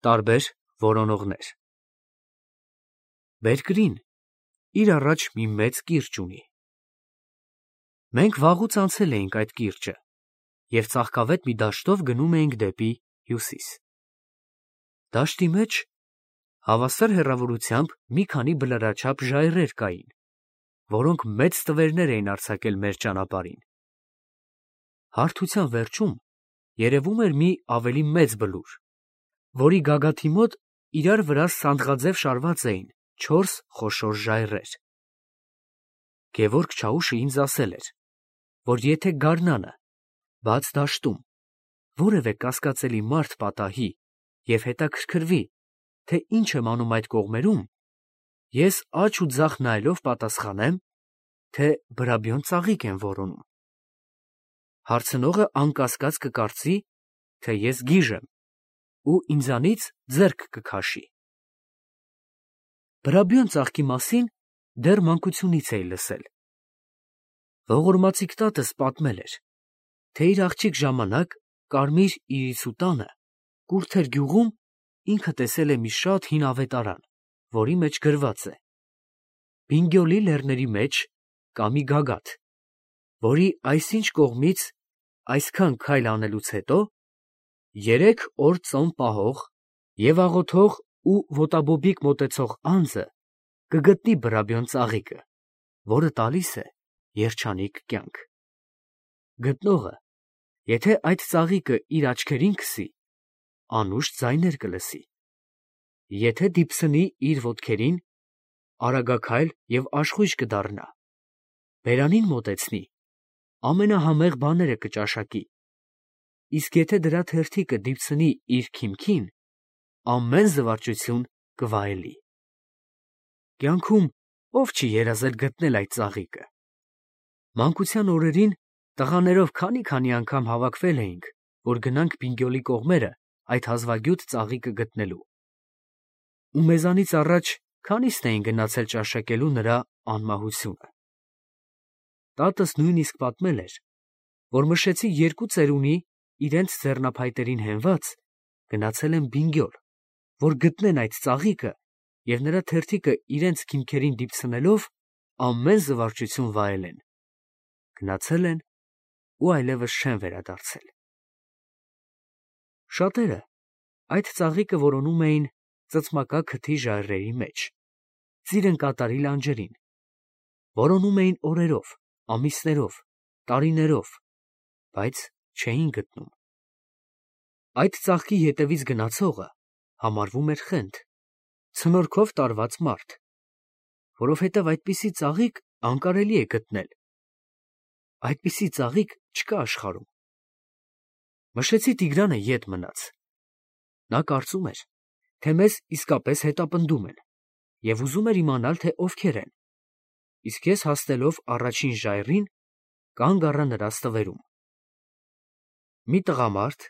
Տարբեր որոնողներ։ Բերկրին իր առաջ մի մեծ կիրճ ունի։ Մենք վաղուց անցել էինք այդ կիրճը և ծաղկավետ մի դաշտով գնում էինք դեպի հյուսիս։ Դաշտի մեջ հավասար հեռավորությամբ մի քանի բլրաչափ ժայռեր կային, որոնք մեծ ստվերներ էին արձակել մեր ճանապարհին։ Հարթության վերջում երևում էր մի ավելի մեծ բլուր, որի գագաթի մոտ իրար վրա սանդղաձև շարված էին 4 խոշոր ժայռեր։ Գևորգ Չաուշը ինձ ասել էր, որ եթե գարնանը, բաց դաշտում, որևէ կասկածելի մարդ պատահի և հետաքրքրվի, թե ինչ եմ անում այդ կողմերում, ես աջ ու ձախ նայելով պատասխանեմ, թե բրաբյոն ծաղիկ եմ որոնում։ Հարցնողը անկասկած կկարծի, թե ես գիժ եմ ու ինձանից ձեռք կքաշի։ Բրաբյոն ծաղկի մասին դեռ մանկությունից էի լսել։ Ողորմածիկ տատս պատմել էր, թե իր աղջիկ ժամանակ Կարմիր Իրիսու տանը Կուրթեր գյուղում ինքը տեսել է մի շատ հին ավետարան, որի մեջ գրված է. Բինգյոլի լեռների մեջ կա մի գագաթ, որի այսինչ կողմից այսքան քայլ անելուց հետո 3 օր ծոմ պահող և աղոթող ու ոտաբոբիկ մոտեցող անձը կգտնի բրաբյոն ծաղիկը, որը տալիս է երջանիկ կյանք։ Գտնողը, եթե այդ ծաղիկը իր աչքերին քսի, անուշ ձայներ կլսի, եթե դիպցնի իր ոտքերին, արագաքայլ և աշխույժ կդառնա, բերանին մոտեցնի, ամենահամեղ բաները կճաշակի, իսկ եթե դրա թերթիկը դիպցնի իր քիմքին, ամեն զվարճություն կվայելի։ Կյանքում ով չի երազել գտնել այդ ծաղիկը։ Մանկության օրերին տղաներով քանի անգամ հավաքվել էինք, որ գնանք Բինգյոլի կողմերը այդ հազվագյուտ ծաղիկը գտնելու։ Ու մեզանից առաջ քանիսն էին գնացել ճաշակելու նրա անմահությունը։ Տատս նույնիսկ պատմել էր, որ Մշեցի 2 ծերունի իրենց ձեռնափայտերին հենված գնացել են Բինգյոլ, որ գտնեն այդ ծաղիկը և նրա թերթիկը իրենց քիմքերին դիպցնելով ամեն զվարճություն վայելեն։ Գնացել են ու այլևս չեն վերադարձել։ Շատերը այդ ծաղիկը որոնում էին ծծմակա քթի ժայռերի մեջ, ծիրն կատարի լանջերին, որոնում էին օրերով, ամիսներով, տարիներով, բայց չէին գտնում։ Այդ ծաղկի ետևից գնացողը համարվում էր խենթ, ցնորքով տարված մարդ, որովհետև այդպիսի ծաղիկ անկարելի է գտնել։ Այդպիսի ծաղիկ չկա աշխարհում։ Մշեցի Տիգրանը ետ մնաց։ Նա կարծում էր, թե մեզ իսկապես հետապնդում են և ուզում էր իմանալ, թե ովքեր են, իսկ ես հասնելով առաջին ժայռին, կանգ առա նրա ստվերում։ Մի տղամարդ,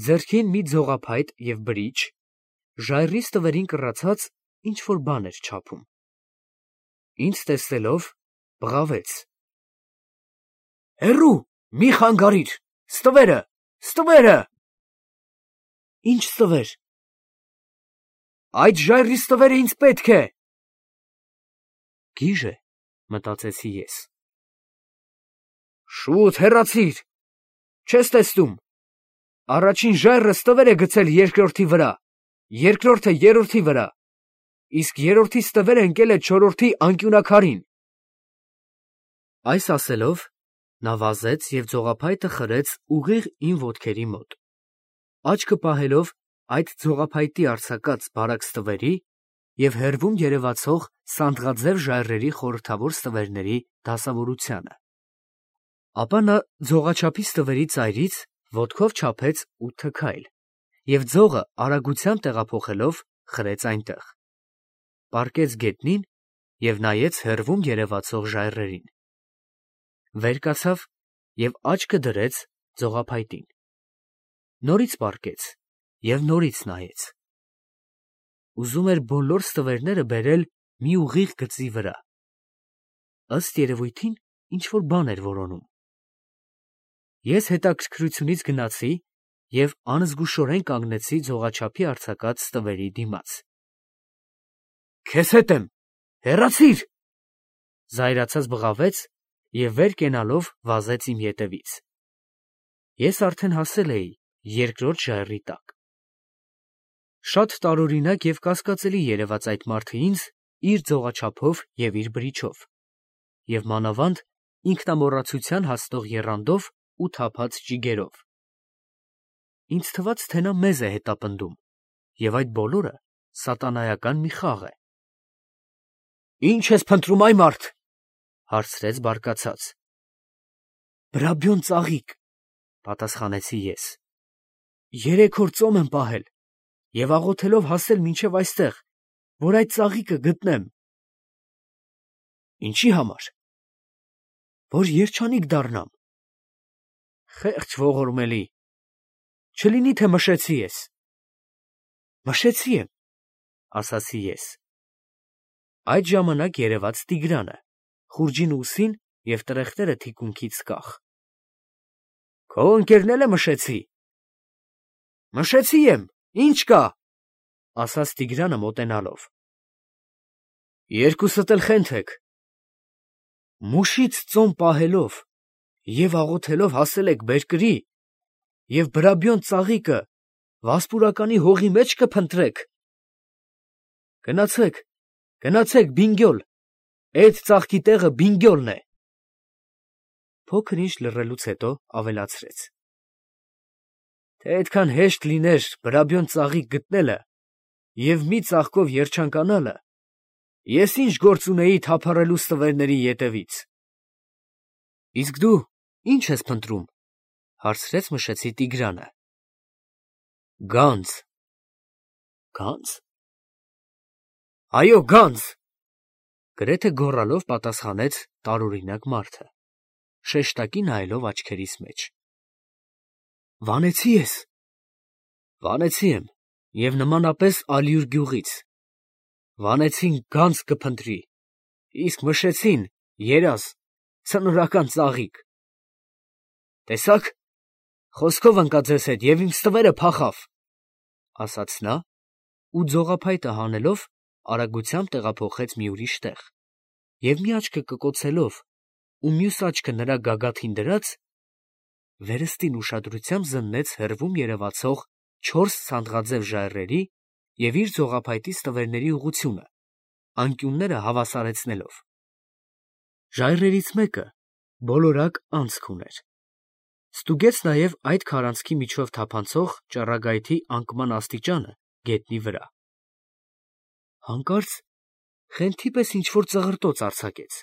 ձեռքին մի ձողափայտ և բրիչ, ժայռի ստվերին կռացած ինչ-որ բան էր չափում։ Ինձ տեսնելով բղավեց. «Հեռու, մի խանգարիր, ստվերը, ստվերը»։ Ի՞նչ ստվեր։ Այդ ժայռի ստվերը ինձ պետք է։ Գիժ է, մտածեցի ես։ Շուտ հեռացիր, չես տեսնում։ Առաջին ժայռը ստվեր է գցել երկրորդի վրա, երկրորդը երրորդի վրա, իսկ երրորդի ստվերը ընկել է չորրորդի անկյունակարին։ Այս ասելով, նա վազեց և ձողափայտը խրեց ուղիղ իմ ոտքերի մոտ, աչքը պահելով այդ ձողափայտի արձակած բարակ ստվերի և հեռվում երևացող սանդղաձև ժայռերի խորհրդավոր ստվերների դասավորությանը։ Ապա նա ձողաչափի ստվերի ծայրից ոտքով չափեց 8 քայլ և ձողը արագությամբ տեղափոխելով խրեց այնտեղ, պառկեց գետնին և նայեց հեռվում երևացող ժայռերին, վեր կացավ և աչքը դրեց ձողափայտին, նորից պառկեց և նորից նայեց։ Ուզում էր բոլոր ստվերները բերել մի ուղիղ գծի վրա։ Ըստ երևույթին ինչ-որ բան էր որոնում։ Ես հետաքրքրությունից գնացի և անզգուշորեն կանգնեցի ձողաչափի արձակած ստվերի դիմաց։ «Քեզ հետ եմ, հեռացիր», զայրացած բղավեց և վեր կենալով վազեց իմ ետևից։ Ես արդեն հասել էի երկրորդ ժայռի տակ։ Շատ տարօրինակ և կասկածելի երևաց այդ մարդը ինձ իր ձողաչափով և իր բրիչով, և մանավանդ ինքնամոռացության հասնող եռանդով ու թափած ճիգերով։ Ինձ թվաց, թե նա մեզ է հետապնդում, և այդ բոլորը սատանայական մի խաղ է։ «Ի՞նչ ես փնտրում, այ մարդ», հարցրեց բարկացած։ «Բրաբյոն ծաղիկ», պատասխանեցի ես։ 3 օր ծոմ եմ պահել և աղոթելով հասել մինչև այստեղ, որ այդ ծաղիկը գտնեմ։ Ինչի համար։ Որ երջանիկ դառնամ։ Խեղճ ողորմելի, չլինի թե մշեցի ես։ Մշեցի եմ, ասացի ես։ Այդ ժամանակ երևաց Տիգրանը, խուրջին ուսին և տրեխները թիկունքից կախ։ Քո ընկերն էլ է մշեցի։ Մշեցի եմ, ինչ կա, ասաց Տիգրանը մոտենալով։ Երկուսդ էլ խենթ եք։ Մուշից ծոմ պահելով և աղոթելով հասել եք բերկրի և բրաբյոն ծաղիկը վասպուրականի հողի մեջ կփնտրեք։ Գնացեք, գնացեք բինգյոլ, էդ ծաղկի տեղը բինգյոլն է։ Փոքր ինչ լռելուց հետո ավելացրեց. Թե այդքան հեշտ լիներ բրաբյոն ծաղիկ գտնելը և մի ծաղկով երջանկանալը, ես ինչ գործ ունեի թափառելու ստվերների ետևից։ Իսկ դու ի՞նչ ես փնտրում, հարցրեց մշեցի Տիգրանը։ Գանձ։ Գանձ։ Այո, գանձ, գրեթե գոռալով պատասխանեց տարօրինակ մարդը, շեշտակի նայելով աչքերիս մեջ։ Վանեցի ես։ Վանեցի եմ, և նմանապես Ալյուր գյուղից։ Վանեցին գանձ կփնտրի, իսկ մշեցին երազ, ցնորական ծաղիկ։ Տեսաք, խոսքով ընկա ձեզ հետ և իմ ստվերը փախավ, ասաց նա ու ձողափայտը հանելով արագությամբ տեղափոխեց մի ուրիշ տեղ, և մի աչքը կկոցելով ու մյուս աչքը նրա գագաթին դրած, վերստին ուշադրությամբ զննեց հեռվում երևացող 4 ցանդղաձև ժայռերի և իր ձողափայտի ստվերների ուղղությունը, անկյունները հավասարեցնելով։ Ժայռերից մեկը բոլորակ անցք ուներ։ Ստուգեց նաև այդ քարանձքի միջով թափանցող ճառագայթի անկման աստիճանը գետնի վրա։ Հանկարծ խենթի պես ինչ-որ ծղրտոց արձակեց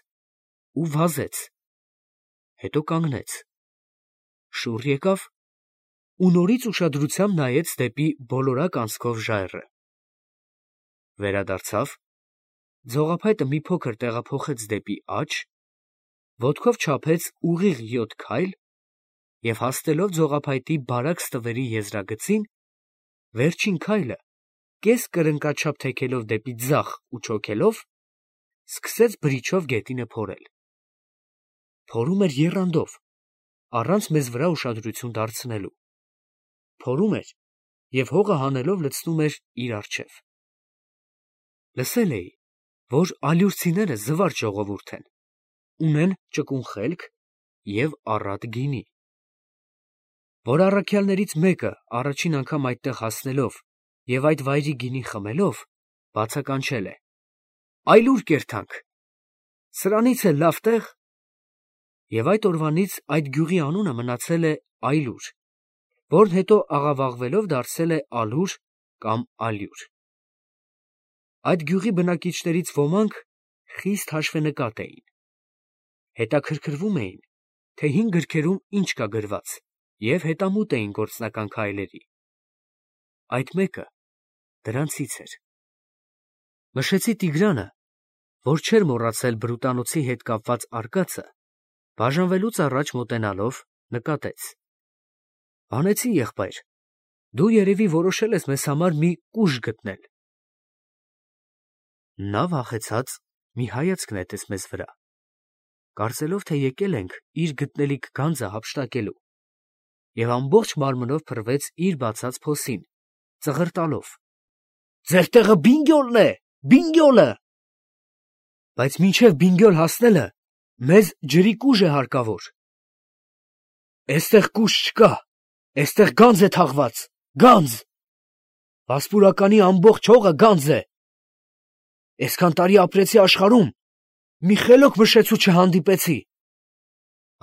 ու վազեց, հետո կանգնեց, շուռ եկավ ու նորից ուշադրությամբ նայեց դեպի բոլորակ անցքով ժայռը։ Վերադարձավ, ձողափայտը մի փոքր տեղափոխեց դեպի աջ, ոտքով չափեց ուղիղ 7 քայլ և հասնելով ձողափայտի բարակ ստվերի եզրագծին, վերջին քայլը կես կրնկաչափ թեքելով դեպի ձախ ու չոքելով, սկսեց բրիչով գետինը փորել։ Փորում էր եռանդով, առանց մեզ վրա ուշադրություն դարձնելու։ Փորում էր և հողը հանելով լցնում էր իր առջև։ Լսել էի, որ ալյուրցիները զվարճ ժողովուրդ են, ունեն ճկուն խելք և առատ գինի, որ առաքյալներից մեկը առաջին անգամ այդտեղ հասնելով և այդ վայրի գինին խմելով, բացականչել է. «Այլուր կերթանք, սրանից էլ լավ տեղ», և այդ օրվանից այդ գյուղի անունը մնացել է Այլուր, որն հետո աղավաղվելով դարձել է Ալուր կամ Ալյուր։ Այդ գյուղի բնակիչներից ոմանք խիստ հաշվենկատ էին։ Հետաքրքրվում էին, թե հին գրքերում ինչ կա գրված, և հետամուտ էին գործնական քայլերի։ Այդ մեկը դրանցից էր։ Մշեցի Տիգրանը, որ չէր մոռացել բրուտանոցի հետ կապված արկածը, բաժանվելուց առաջ մոտենալով նկատեց. Հանեցի, եղբայր, դու երևի որոշել ես մեզ համար մի կուժ գտնել։ Նա վախեցած մի հայացք նետեց մեզ վրա, կարծելով, թե եկել ենք իր գտնելիք գանձը հափշտակելու։ և ամբողջ մարմնով փռվեց իր բացած փոսին, ծղրտալով. «Ձեր տեղը Բինգյոլն է, Բինգյոլը»։ Բայց մինչև Բինգյոլ հասնելը մեզ ջրի կուժ է հարկավոր։ «Էստեղ կուժ չկա, էստեղ գանձ է թաղված, գանձ։ Վասպուրականի ամբողջ հողը գանձ է։ Այսքան տարի ապրեցի աշխարհում, մի խելոք մշեցու չհանդիպեցի»,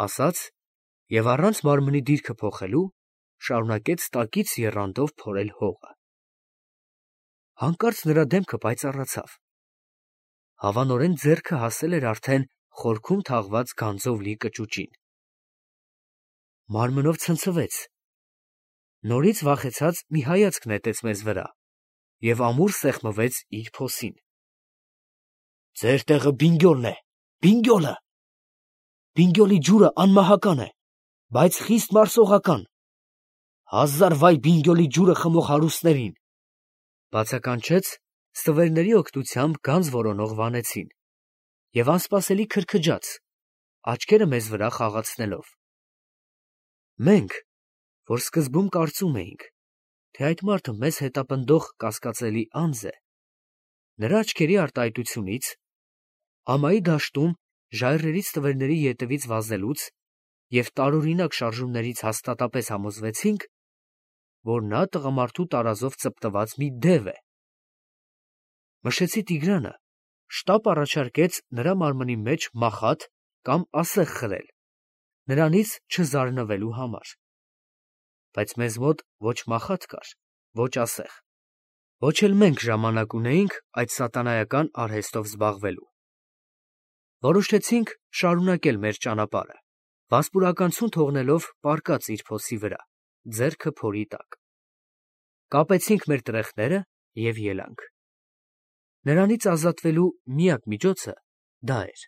ասաց և առանց մարմնի դիրքը փոխելու շարունակեց տակից եռանդով փորել հողը։ Հանկարծ նրա դեմքը պայծառացավ. հավանորեն ձեռքը հասել էր արդեն խորքում թաղված գանձով լի կճուճին։ Մարմնով ցնցվեց, նորից վախեցած մի հայացք նետեց մեզ վրա և ամուր սեղմվեց իր փոսին։ «Ձեր տեղը Բինգյոլն է, Բինգյոլը։ Բինգյոլի ջուրը անմահական է, բայց խիստ մարսողական։ Հազար վայ Բինգյոլի ջուրը խմող հարուստներին», բացականչեց ստվերների օգնությամբ գանձ որոնող վանեցին և անսպասելի քրքջաց, աչքերը մեզ վրա խաղացնելով։ Մենք, որ սկզբում կարծում էինք, թե այդ մարդը մեզ հետապնդող կասկածելի անձ է, նրա աչքերի արտահայտությունից, ամայի դաշտում ժայռերի ստվերների ետևից վազելուց և տարօրինակ շարժումներից հաստատապես համոզվեցինք, որ նա տղամարդու տարազով ծպտված մի դև է։ Մշեցի Տիգրանը շտապ առաջարկեց նրա մարմնի մեջ մախատ կամ ասեղ խրել, նրանից չզարնվելու համար։ Բայց մեզ մոտ ոչ մախատ կար, ոչ ասեղ, ոչ էլ մենք ժամանակ ունեինք այդ սատանայական արհեստով զբաղվելու։ Որոշեցինք շարունակել մեր ճանապարհը, վասպուրականություն թողնելով պառկած իր փոսի վրա, ձեռքը փորի տակ։ Կապեցինք մեր տրեխները և ելանք։ Նրանից ազատվելու միակ միջոցը դա էր։